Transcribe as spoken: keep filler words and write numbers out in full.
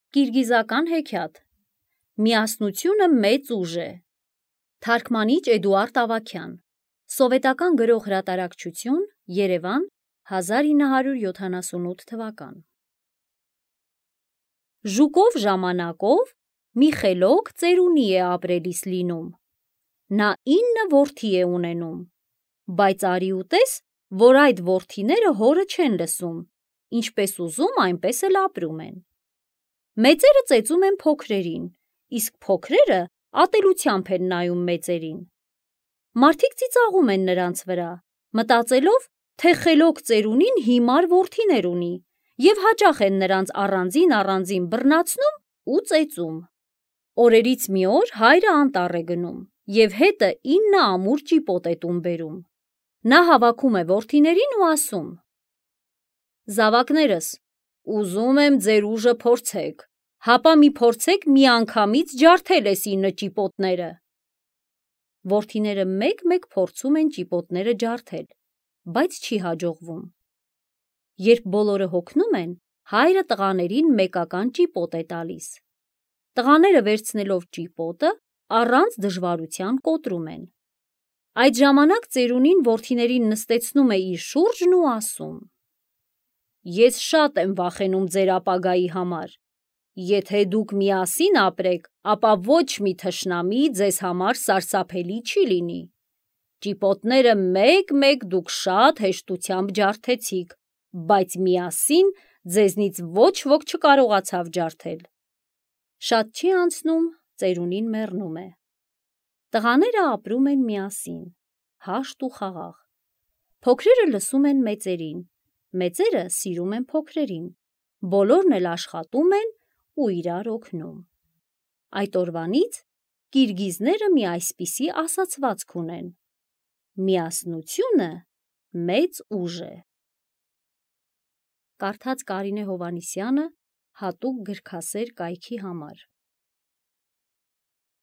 Կիրգիզական հեքիաթ։ Միասնությունը մեծ ուժ է։ Թարգմանիչ Էդուարդ Ավագյան։ Սովետական գրող հրատարակչություն, Երևան, հազար ինը հարյուր յոթանասունութ թվական։ Ժուկով ժամանակով մի խելոք ծերունի է ապրելիս լինում։ Նա ինը որդի է ունենում, բայց արի ու տես, որ այդ որդիները հորը չեն լսում, ինչպես ուզում, այնպես էլ ապրում են։ Մեծերը ծեծում են փոքրերին, իսկ փոքրերը ատելությամբ են նայում մեծերին։ Մարդիկ ծիծաղում են նրանց վրա, մտածելով, թե խելոք ծերունին հիմար որդիներ ունի և հաճախ են նրանց առանձին-առանձին բռնացնում ու ծեծում։ Օրերից մի օր հայրը անտառ է գնում և հետը ինը ամուր ճիպոտ է տուն բերում։ Նա հավաքում է որդիներին ու ասում. «Զավակներս, ուզում եմ ձեր ուժը փորձեք, հապա մի փորձեք միանգամից ջարդել էս ինը ճիպոտները»։ Որդիները մեկ-մեկ փորձում են ճիպոտները ջարդել, բայց չի հաջողվում։ Երբ բոլորը հոգնում են, հայրը տղաներին մեկական ճիպոտ է տալիս։ Տղաները վերցնելով ճիպոտը, առանց դժվարության կոտրում են։ Այդ ժամանակ ծերունին որդիներին նստեցնում է իր շուրջն ու ասում. «Ես շատ եմ վախենում ձեր ապագայի համար։ Եթե դուք միասին ապրեք, ապա ոչ մի թշնամի ձեզ համար սարսափելի չի լինի։ Ճիպոտները մեկ-մեկ դուք շատ հեշտությամբ ջարդեցիք, բայց միասին ձեզնից ոչ ոք չկարողացավ ջարդել»։ Շատ չի անցնում, ծերունին մեռնում է։ Տղաները ապրում են միասին, հաշտ ու խաղաղ։ Փոքրերը լսում են մեծերին, մեծերը սիրում են փոքրերին, բոլորն էլ աշխատում են ու իրար օգնում։ Այդ օրվանից կիրգիզները մի այսպիսի ասացվածք ունեն. միասնությունը մեծ ուժ է։ Կարդաց Կարինե Հովհաննիսյանը հատուկ գրքասեր կայքի համար։